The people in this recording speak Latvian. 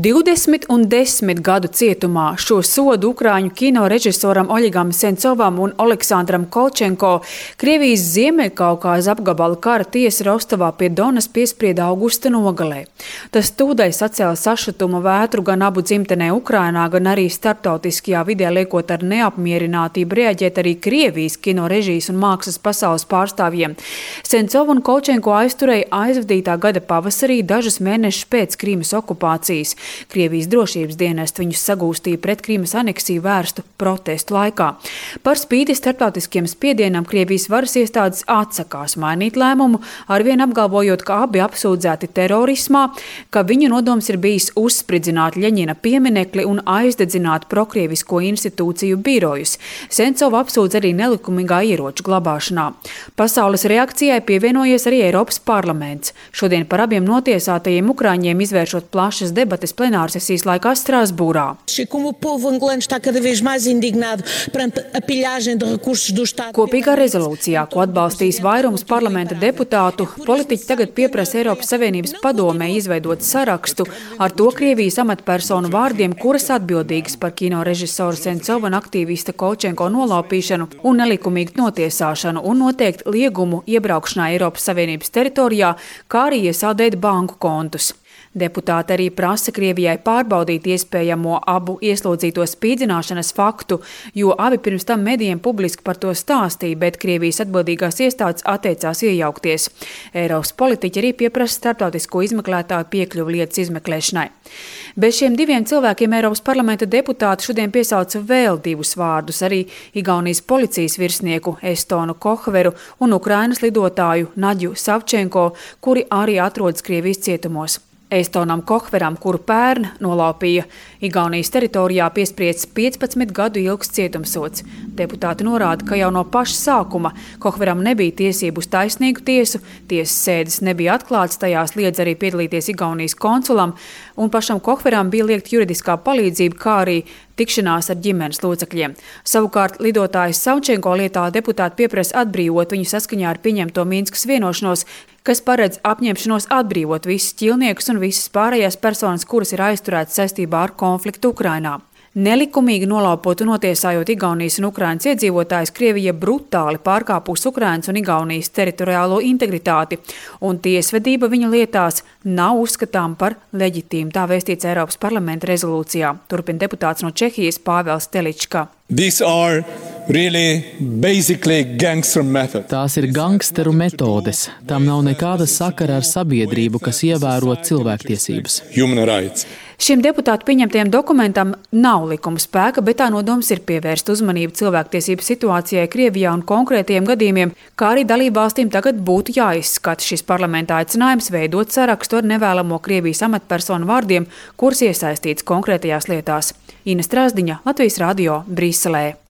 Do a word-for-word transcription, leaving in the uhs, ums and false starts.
divdesmit un desmit gadu cietumā šo sodu Ukraiņu kino režisoram Oļegam Sencovam un Oleksandram Kolčenko Krievijas Ziemeļkaukāza apgabala kara tiesa Rostovā pie Donas piesprieda augusta nogalē. Tas tūdaļ sacēla sašutuma vētru gan abu dzimtenē Ukrainā, gan arī starptautiskajā vidē, liekot ar neapmierinātību reaģēt arī Krievijas kino režijas un mākslas pasaules pārstāvjiem. Sencovu un Kolčenko aizturēja aizvadītā gada pavasarī dažus mēnešus pēc Krīmas okupācijas. Krievijas drošības dienesti viņus sagūstīja pret Krīmas aneksiju vērstu protestu laikā. Par spīti starptautiskiem spiedienam Krievijas varas iestādes atsakās mainīt lēmumu, arvien apgalvojot, ka abi apsūdzēti terorismā, ka viņu nodoms ir bijis uzspridzināt Ļeņina pieminekli un aizdedzināt prokrievisko institūciju birojus. Sencova apsūdz arī nelikumīgā ieroču glabāšanā. Pasaules reakcijai pievienojies arī Eiropas parlaments. Šodien par abiem notiesātajiem ukraiņiem izvēršot plašas debates plenārsesijas laikā Strasbūrā. Kopīgā rezolūcijā, ko atbalstīs vairums parlamenta deputātu, politiķi tagad pieprasa Eiropas Savienības padomē izveidot sarakstu ar to Krievijas amatpersonu vārdiem, kuras atbildīgas par kino režisoru Sencova un aktīvista Kolčenko nolaupīšanu un nelikumīgu notiesāšanu un noteikt liegumu iebraukšanā Eiropas Savienības teritorijā, kā arī iesaldēt banku kontus. Deputāti arī prasa Krievijai pārbaudīt iespējamo abu ieslodzīto spīdzināšanas faktu, jo abi pirms tam medijiem publiski par to stāstīja, bet Krievijas atbildīgās iestādes atteicās iejaukties. Eiropas politiķi arī pieprasa starptautisko izmeklētāju piekļuvi lietas izmeklēšanai. Bez šiem diviem cilvēkiem Eiropas parlamenta deputāti šodien piesauca vēl divus vārdus, arī Igaunijas policijas virsnieku Estonu Kohveru un Ukrainas lidotāju Naģu Savčenko, kuri arī atrodas Krievijas cietumos. Estonam Kohveram, kuru pērn nolaupīja Igaunijas teritorijā, piespriests piecpadsmit gadu ilgs cietumsods. Deputāti norāda, ka jau no paša sākuma Kohveram nebija tiesību uz taisnīgu tiesu, tiesas sēdes nebija atklātas, tajās liedz arī piedalīties Igaunijas konsulam, un pašam Kohveram bija liegta juridiskā palīdzība, kā arī tikšanās ar ģimenes locekļiem. Savukārt lidotājs Savčenko lietā deputāti pieprasa atbrīvot viņu saskaņā ar pieņemto Minskas vienošanos, kas paredz apņemšanos atbrīvot visus ķilniekus un visas pārējās personas, kuras ir aizturētas saistībā ar konfliktu Ukrainā. Nelikumīgi nolaupot un notiesājot Igaunijas un Ukrainas iedzīvotājus, Krievija brutāli pārkāpus Ukrainas un Igaunijas teritoriālo integritāti, un tiesvedība viņa lietās nav uzskatām par leģitīmu, tā vēstīts Eiropas parlamenta rezolūcijā. Turpina deputāts no Čehijas Pāvels Telička. Really Tās ir gangsteru metodes. Tam nav nekāda sakara ar sabiedrību, kas ievēro cilvēktiesības. Šim deputātu pieņemtajam dokumentam nav likuma spēka, bet tā nodoms ir pievērst uzmanību cilvēktiesību situācijai Krievijā un konkrētiem gadījumiem, kā arī dalībvalstīm tagad būtu jāizskata šis parlamentā aicinājums veidot sarakstu ar nevēlamo Krievijas amatpersonu vārdiem, kuras iesaistīts konkrētajās lietās. Ina Strasdiņa, Latvijas radio, Briselē.